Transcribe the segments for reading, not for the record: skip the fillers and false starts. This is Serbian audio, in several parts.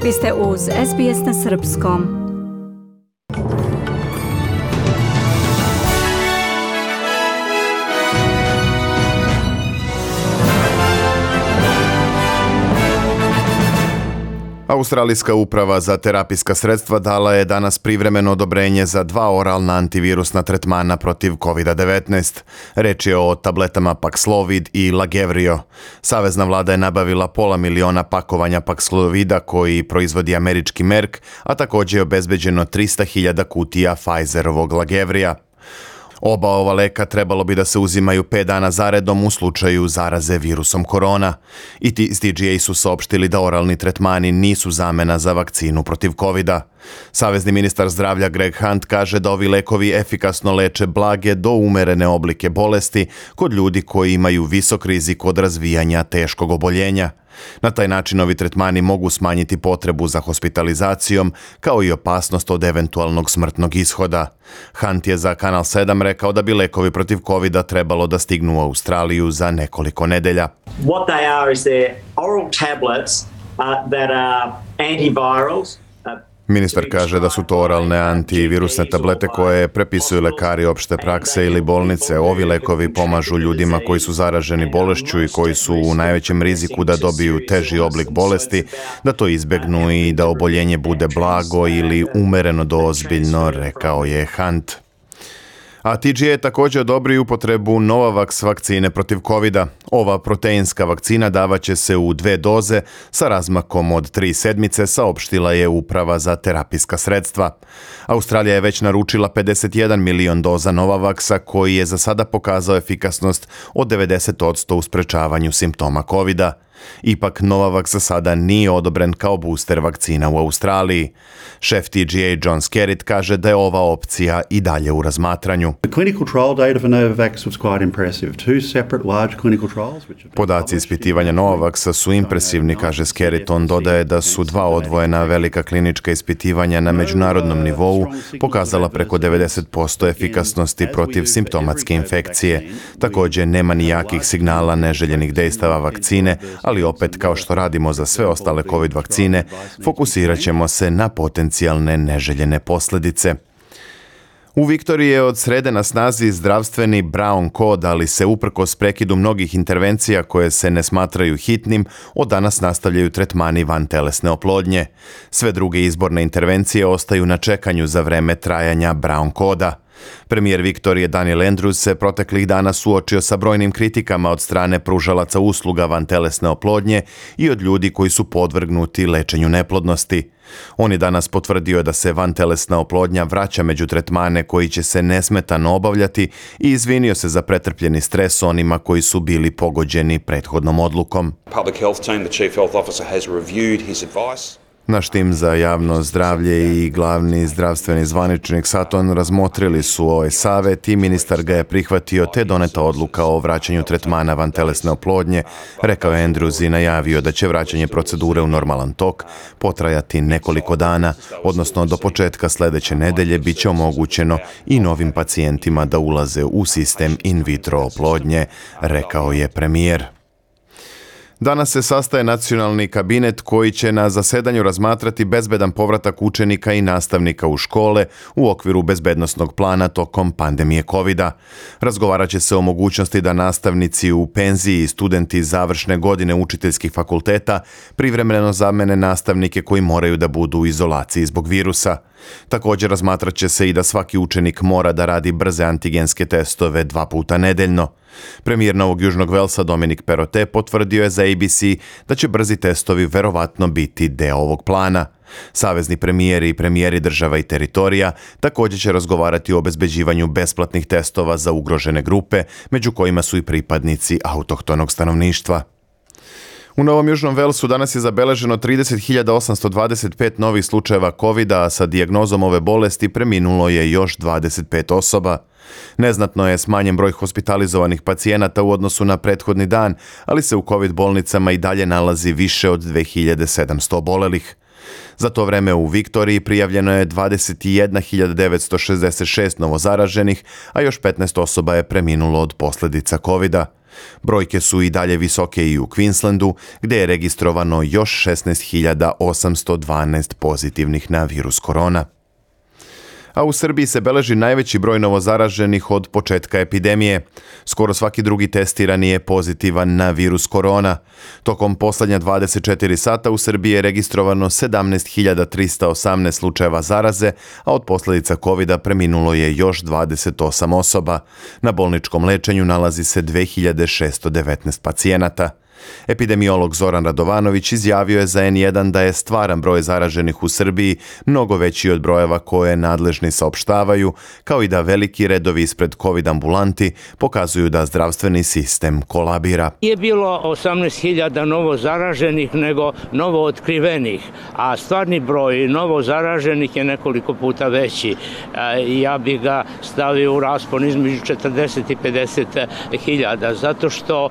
Vi ste uz SBS na srpskom. Australijska uprava za terapijska sredstva dala je danas privremeno odobrenje za 2 oralna antivirusna tretmana protiv COVID-19. Reč je o tabletama Paxlovid i Lagevrio. Savezna vlada je nabavila 500.000 pakovanja Paxlovida koji proizvodi američki Merck, a također je obezbeđeno 300.000 kutija Pfizerovog Lagevrija. Oba ova leka trebalo bi da se uzimaju 5 dana zaredom u slučaju zaraze virusom korona. I TGA su saopštili da oralni tretmani nisu zamena za vakcinu protiv covida. Savezni ministar zdravlja Greg Hunt kaže da ovi lekovi efikasno leče blage do umerene oblike bolesti kod ljudi koji imaju visok rizik od razvijanja teškog oboljenja. Na taj način ovi tretmani mogu smanjiti potrebu za hospitalizacijom, kao i opasnost od eventualnog smrtnog ishoda. Hunt je za Kanal 7 rekao da bi lekovi protiv covida trebalo da stignu u Australiju za nekoliko nedelja. What they are is they're oral tablets that are antivirals. Ministar kaže da su to oralne antivirusne tablete koje prepisuju lekari opšte prakse ili bolnice. Ovi lekovi pomažu ljudima koji su zaraženi bolešću i koji su u najvećem riziku da dobiju teži oblik bolesti, da to izbegnu i da oboljenje bude blago ili umereno do ozbiljno, rekao je Hunt. A TGA je također odobrio upotrebu Novavax vakcine protiv covida. Ova proteinska vakcina davaće se u 2 doze sa razmakom od 3 sedmice, saopštila je uprava za terapijska sredstva. Australija je već naručila 51 milion doza Novavaxa koji je za sada pokazao efikasnost od 90% u sprečavanju simptoma covida. Ipak Novavax za sada nije odobren kao booster vakcina u Australiji. Šef TGA John Skerritt kaže da je ova opcija i dalje u razmatranju. Podaci ispitivanja Novavaxa su impresivni, kaže Skerritt. On dodaje da su 2 odvojena velika klinička ispitivanja na međunarodnom nivou pokazala preko 90% efikasnosti protiv simptomatske infekcije. Također nema ni jakih signala neželjenih dejstava vakcine, ali opet, kao što radimo za sve ostale COVID vakcine, fokusirat ćemo se na potencijalne neželjene posljedice. U Viktoriji je od srede na snazi zdravstveni Brown kod, ali se uprkos prekidu mnogih intervencija koje se ne smatraju hitnim, od danas nastavljaju tretmani vantelesne oplodnje. Sve druge izborne intervencije ostaju na čekanju za vreme trajanja Brown koda. Premijer Viktorije Daniel Andrews se proteklih dana suočio sa brojnim kritikama od strane pružalaca usluga vantelesne oplodnje i od ljudi koji su podvrgnuti lečenju neplodnosti. On je danas potvrdio da se vantelesna oplodnja vraća među tretmane koji će se nesmetano obavljati i izvinio se za pretrpljeni stres onima koji su bili pogođeni prethodnom odlukom. Naš tim za javno zdravlje i glavni zdravstveni zvaničnik Sutton razmotrili su ovaj savjet i ministar ga je prihvatio te doneta odluka o vraćanju tretmana vantelesne oplodnje, rekao je Andrews i najavio da će vraćanje procedure u normalan tok potrajati nekoliko dana, odnosno do početka sljedeće nedelje bit će omogućeno i novim pacijentima da ulaze u sistem in vitro oplodnje, rekao je premijer. Danas se sastaje nacionalni kabinet koji će na zasedanju razmatrati bezbedan povratak učenika i nastavnika u škole u okviru bezbednosnog plana tokom pandemije covida. Razgovarat će se o mogućnosti da nastavnici u penziji i studenti završne godine učiteljskih fakulteta privremeno zamene nastavnike koji moraju da budu u izolaciji zbog virusa. Također razmatrat će se i da svaki učenik mora da radi brze antigenske testove 2 puta nedeljno. Premijer Novog Južnog Velsa Dominic Perrottet potvrdio je za ABC da će brzi testovi verovatno biti deo ovog plana. Savezni premijeri i premijeri država i teritorija također će razgovarati o obezbeđivanju besplatnih testova za ugrožene grupe, među kojima su i pripadnici autohtonog stanovništva. U Novom Južnom Velsu danas je zabeleženo 30.825 novih slučajeva covida, a sa dijagnozom ove bolesti preminulo je još 25 osoba. Neznatno je smanjen broj hospitalizovanih pacijenata u odnosu na prethodni dan, ali se u COVID bolnicama i dalje nalazi više od 2700 obolelih. Za to vreme u Viktoriji prijavljeno je 21.966 novozaraženih, a još 15 osoba je preminulo od posljedica covida. Brojke su i dalje visoke i u Queenslandu, gdje je registrovano još 16.812 pozitivnih na virus korona. A u Srbiji se beleži najveći broj novozaraženih od početka epidemije. Skoro svaki drugi testirani je pozitivan na virus korona. Tokom posljednja 24 sata u Srbiji je registrovano 17.318 slučajeva zaraze, a od posljedica covida preminulo je još 28 osoba. Na bolničkom lečenju nalazi se 2619 pacijenata. Epidemiolog Zoran Radovanović izjavio je za N1 da je stvaran broj zaraženih u Srbiji mnogo veći od brojeva koje nadležni saopštavaju, kao i da veliki redovi ispred COVID ambulanti pokazuju da zdravstveni sistem kolabira. Nije bilo 18.000 novo zaraženih nego novo otkrivenih, a stvarni broj novo zaraženih je nekoliko puta veći. Ja bih ga stavio u raspon između 40 i 50.000, zato što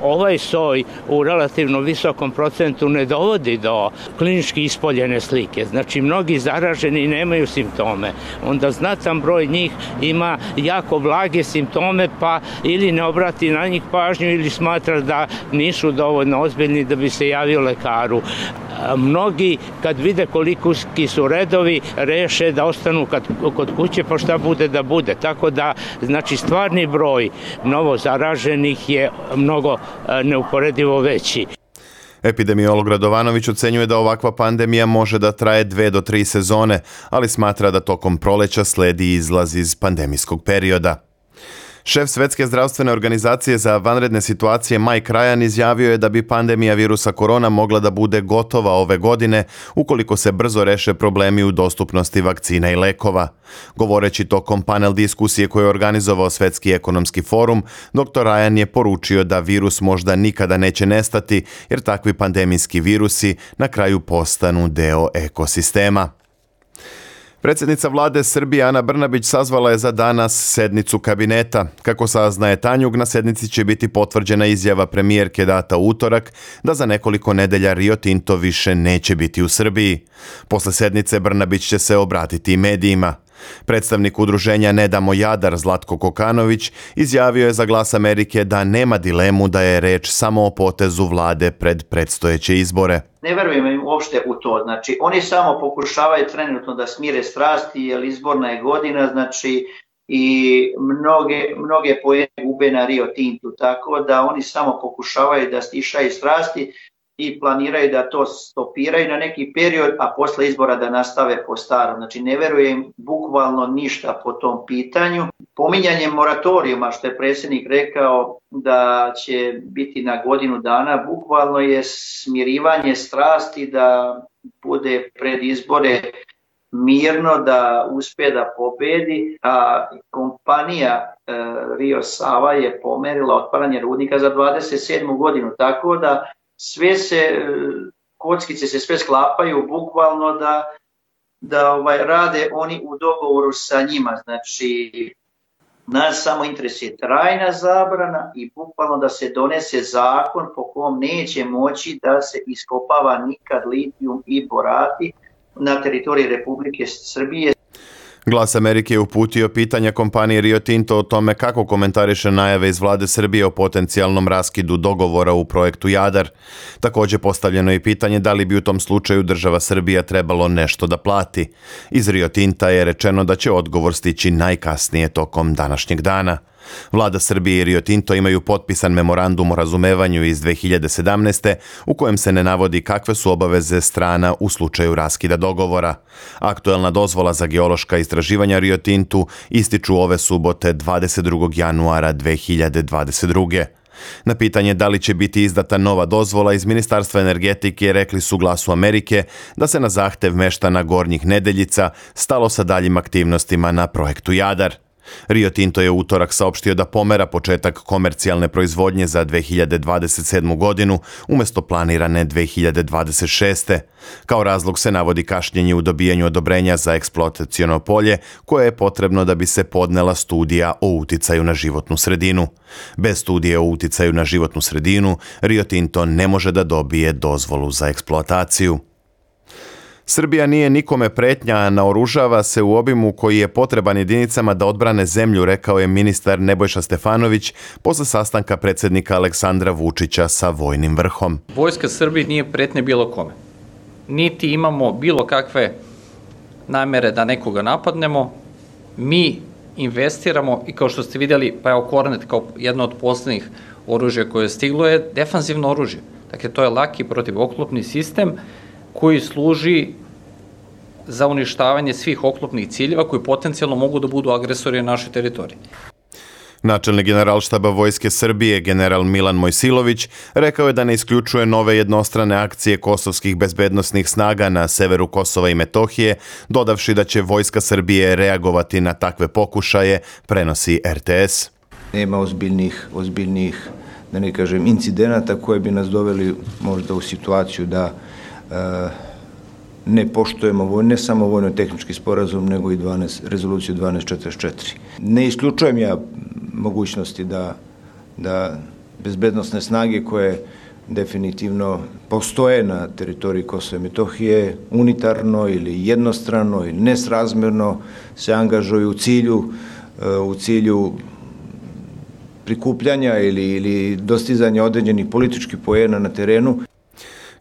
ovaj soj u relativno visokom procentu ne dovodi do klinički ispoljene slike. Znači, mnogi zaraženi nemaju simptome. Onda znatan broj njih ima jako blage simptome, pa ili ne obrati na njih pažnju ili smatra da nisu dovoljno ozbiljni da bi se javio lekaru. Mnogi, kad vide koliki su redovi, reše da ostanu kod kuće, pa šta bude da bude. Tako da, znači, stvarni broj novo zaraženih je mnogo neuporedivo veći. Epidemiolog Radovanović ocenjuje da ovakva pandemija može da traje 2 do 3 sezone, ali smatra da tokom proleća sledi izlaz iz pandemijskog perioda. Šef Svetske zdravstvene organizacije za vanredne situacije Mike Ryan izjavio je da bi pandemija virusa korona mogla da bude gotova ove godine ukoliko se brzo reše problemi u dostupnosti vakcina i lekova. Govoreći tokom panel diskusije koju je organizovao Svetski ekonomski forum, dr. Ryan je poručio da virus možda nikada neće nestati jer takvi pandemijski virusi na kraju postanu deo ekosistema. Predsjednica vlade Srbije Ana Brnabić sazvala je za danas sednicu kabineta. Kako saznaje Tanjug, na sednici će biti potvrđena izjava premijerke data u utorak da za nekoliko nedelja Rio Tinto više neće biti u Srbiji. Posle sednice Brnabić će se obratiti i medijima. Predstavnik udruženja Ne damo Jadar Zlatko Kokanović izjavio je za Glas Amerike da nema dilemu da je reč samo o potezu vlade pred predstojeće izbore. Ne verujem im uopšte u to. Znači, oni samo pokušavaju trenutno da smire strasti, jer izborna je godina, znači, i mnoge poene gube na Rio Tintu, tako da oni samo pokušavaju da stišaju strasti i planiraju da to stopiraju na neki period, a posle izbora da nastave po starom. Znači, ne verujem bukvalno ništa po tom pitanju. Pominjanje moratorijuma, što je predsjednik rekao da će biti na godinu dana, bukvalno je smirivanje strasti da bude pred izbore mirno, da uspije da pobedi, a kompanija Rio Sava je pomerila otvaranje rudnika za 27. godinu, tako da sve kockice se sve sklapaju bukvalno da rade oni u dogovoru sa njima. Znači, nas samo interesuje trajna zabrana i bukvalno da se donese zakon po kom neće moći da se iskopava nikad litijum i borati na teritoriji Republike Srbije. Glas Amerike je uputio pitanja kompanije Rio Tinto o tome kako komentariše najave iz vlade Srbije o potencijalnom raskidu dogovora u projektu Jadar. Također postavljeno je pitanje da li bi u tom slučaju država Srbija trebalo nešto da plati. Iz Rio Tinta je rečeno da će odgovor stići najkasnije tokom današnjeg dana. Vlada Srbije i Rio Tinto imaju potpisan memorandum o razumevanju iz 2017. u kojem se ne navodi kakve su obaveze strana u slučaju raskida dogovora. Aktuelna dozvola za geološka istraživanja Rio Tintu ističu ove subote 22. januara 2022. Na pitanje da li će biti izdata nova dozvola iz Ministarstva energetike rekli su Glasu Amerike da se na zahtev meštana Gornjih Nedeljica stalo sa daljim aktivnostima na projektu Jadar. Rio Tinto je u utorak saopštio da pomera početak komercijalne proizvodnje za 2027. godinu umjesto planirane 2026. Kao razlog se navodi kašnjenje u dobijanju odobrenja za eksploataciono polje koje je potrebno da bi se podnela studija o uticaju na životnu sredinu. Bez studije o uticaju na životnu sredinu Rio Tinto ne može da dobije dozvolu za eksploataciju. Srbija nije nikome pretnja, a naoružava se u obimu koji je potreban jedinicama da odbrane zemlju, rekao je ministar Nebojša Stefanović posle sastanka predsjednika Aleksandra Vučića sa vojnim vrhom. Vojska Srbije nije pretnja bilo kome. Niti imamo bilo kakve namere da nekoga napadnemo. Mi investiramo i kao što ste vidjeli, pa evo Kornet kao jedno od poslednjih oružja koje je stiglo je defanzivno oružje. Dakle, to je laki protivoklopni sistem koji služi za uništavanje svih oklopnih ciljeva koji potencijalno mogu da budu agresori na našoj teritoriji. Načelnik Generalštaba Vojske Srbije, general Milan Mojsilović, rekao je da ne isključuje nove jednostrane akcije kosovskih bezbednosnih snaga na severu Kosova i Metohije, dodavši da će Vojska Srbije reagovati na takve pokušaje, prenosi RTS. Nema ozbiljnih, da ne kažem, incidenata koje bi nas doveli možda u situaciju da ne poštujemo ne samo vojno-tehnički sporazum, nego i rezoluciju 1244. Ne isključujem ja mogućnosti da bezbednosne snage koje definitivno postoje na teritoriji Kosova i Metohije unitarno ili jednostrano ili nesrazmerno se angažuju u cilju prikupljanja ili dostizanja određenih političkih poena na terenu.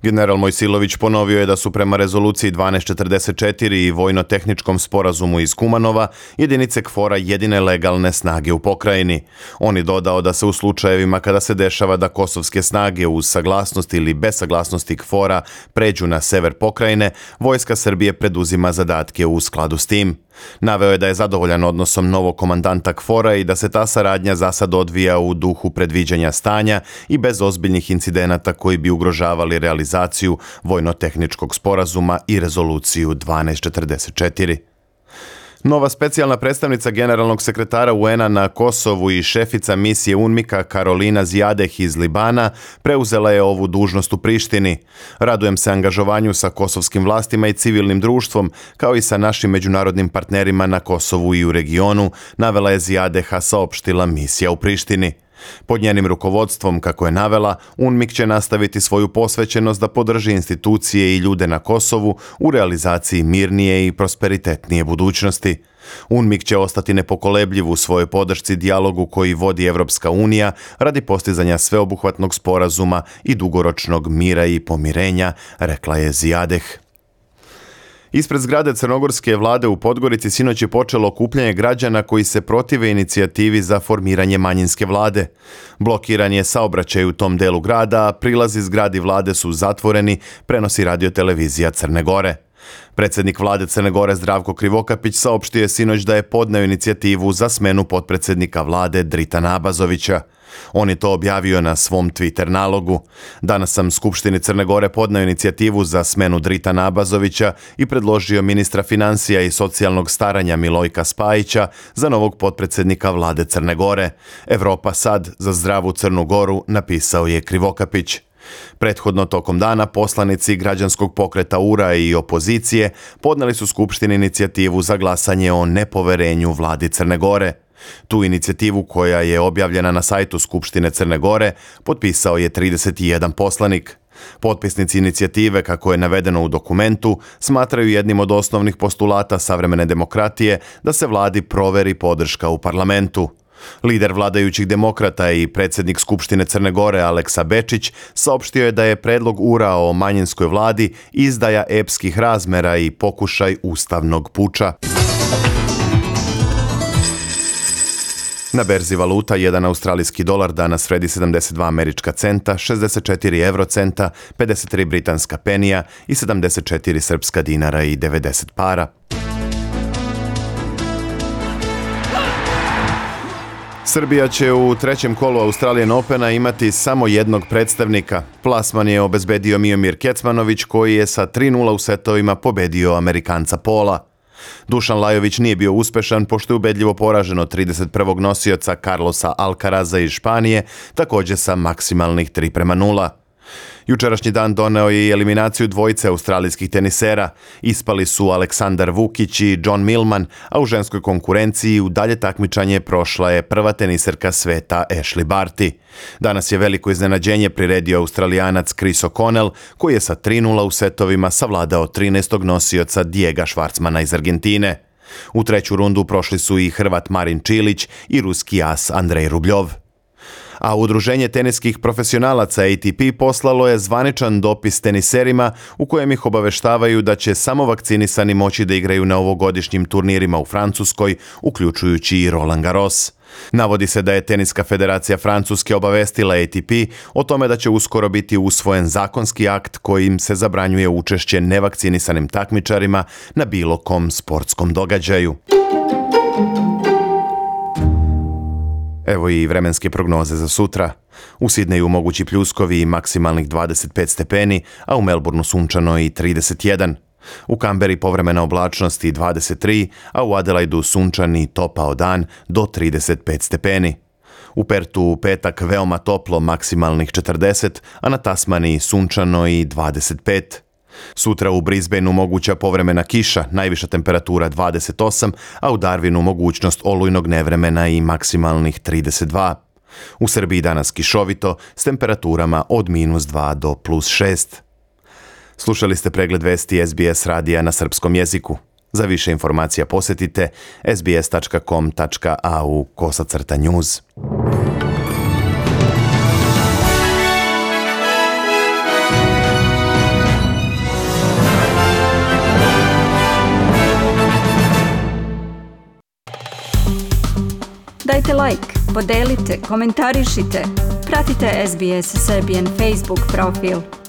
General Mojsilović ponovio je da su prema rezoluciji 1244 i vojno-tehničkom sporazumu iz Kumanova jedinice KFOR-a jedine legalne snage u pokrajini. On je dodao da se u slučajevima kada se dešava da kosovske snage uz saglasnost ili bez saglasnosti KFOR-a pređu na sever pokrajine, Vojska Srbije preduzima zadatke u skladu s tim. Naveo je da je zadovoljan odnosom novog komandanta KFOR-a i da se ta saradnja za sad odvija u duhu predviđanja stanja i bez ozbiljnih incidenata koji bi ugrožavali realizaciju vojno-tehničkog sporazuma i rezoluciju 1244. Nova specijalna predstavnica generalnog sekretara UN-a na Kosovu i šefica misije UNMIK-a Karolina Zijadeh iz Libana preuzela je ovu dužnost u Prištini. Radujem se angažovanju sa kosovskim vlastima i civilnim društvom, kao i sa našim međunarodnim partnerima na Kosovu i u regionu, navela je Zijadeha, saopštila misija u Prištini. Pod njenim rukovodstvom, kako je navela, UNMIK će nastaviti svoju posvećenost da podrži institucije i ljude na Kosovu u realizaciji mirnije i prosperitetnije budućnosti. UNMIK će ostati nepokolebljiv u svojoj podršci dijalogu koji vodi Evropska unija radi postizanja sveobuhvatnog sporazuma i dugoročnog mira i pomirenja, rekla je Zijadeh. Ispred zgrade crnogorske vlade u Podgorici sinoć je počelo okupljanje građana koji se protive inicijativi za formiranje manjinske vlade. Blokiran je saobraćaj u tom delu grada, a prilazi zgradi vlade su zatvoreni, prenosi radiotelevizija Crne Gore. Predsjednik vlade Crne Gore Zdravko Krivokapić saopštio je sinoć da je podneo inicijativu za smenu potpredsjednika vlade Dritana Abazovića. On je to objavio na svom Twitter nalogu. Danas sam Skupštini Crne Gore podneo inicijativu za smenu Dritana Abazovića i predložio ministra financija i socijalnog staranja Milojka Spajića za novog potpredsjednika vlade Crne Gore. Evropa sad za zdravu Crnu Goru, napisao je Krivokapić. Prethodno tokom dana poslanici građanskog pokreta URA i opozicije podneli su Skupštini inicijativu za glasanje o nepoverenju vladi Crne Gore. Tu inicijativu, koja je objavljena na sajtu Skupštine Crne Gore, potpisao je 31 poslanik. Potpisnici inicijative, kako je navedeno u dokumentu, smatraju jednim od osnovnih postulata savremene demokratije da se vladi proveri podrška u parlamentu. Lider vladajućih demokrata i predsjednik Skupštine Crne Gore Aleksa Bečić saopštio je da je predlog URA o manjinskoj vladi izdaja epskih razmera i pokušaj ustavnog puča. Na berzi valuta, jedan australijski dolar danas vredi 72 američka centa, 64 eurocenta, 53 britanska penija i 74 srpska dinara i 90 para. Srbija će u trećem kolu Australian Opena imati samo jednog predstavnika. Plasman je obezbedio Miomir Kecmanović, koji je sa 3:0 u setovima pobedio Amerikanca Pola. Dušan Lajović nije bio uspešan pošto je ubedljivo poražen od 31. nosioca Carlosa Alcaraza iz Španije, također sa maksimalnih 3:0. Jučerašnji dan doneo je i eliminaciju dvojice australijskih tenisera. Ispali su Aleksandar Vukić i John Millman, a u ženskoj konkurenciji u dalje takmičanje prošla je prva teniserka sveta Ashley Barty. Danas je veliko iznenađenje priredio Australijanac Chris O'Connell, koji je sa 3:0 u setovima savladao 13. nosioca Diega Schwartzmana iz Argentine. U treću rundu prošli su i Hrvat Marin Čilić i ruski as Andrej Rubljov. A Udruženje teniskih profesionalaca ATP poslalo je zvaničan dopis teniserima u kojem ih obaveštavaju da će samo vakcinisani moći da igraju na ovogodišnjim turnirima u Francuskoj, uključujući i Roland Garros. Navodi se da je Teniska federacija Francuske obavestila ATP o tome da će uskoro biti usvojen zakonski akt kojim se zabranjuje učešće nevakcinisanim takmičarima na bilo kom sportskom događaju. Evo i vremenske prognoze za sutra. U Sidneju mogući pljuskovi i maksimalnih 25 stepeni, a u Melbourneu sunčano i 31. U Kamberi povremena oblačnost i 23, a u Adelaidu sunčani topao dan do 35 stepeni. U Pertu u petak veoma toplo, maksimalnih 40, a na Tasmaniji sunčano i 25. Sutra u Brisbaneu moguća povremena kiša, najviša temperatura 28, a u Darwinu mogućnost olujnog nevremena i maksimalnih 32. U Srbiji danas kišovito s temperaturama od -2 do +6. Slušali ste pregled vesti SBS radija na srpskom jeziku. Za više informacija posjetite sbs.com.au/news. Dajte like, podelite, komentarišite. Pratite SBS Serbian Facebook profil.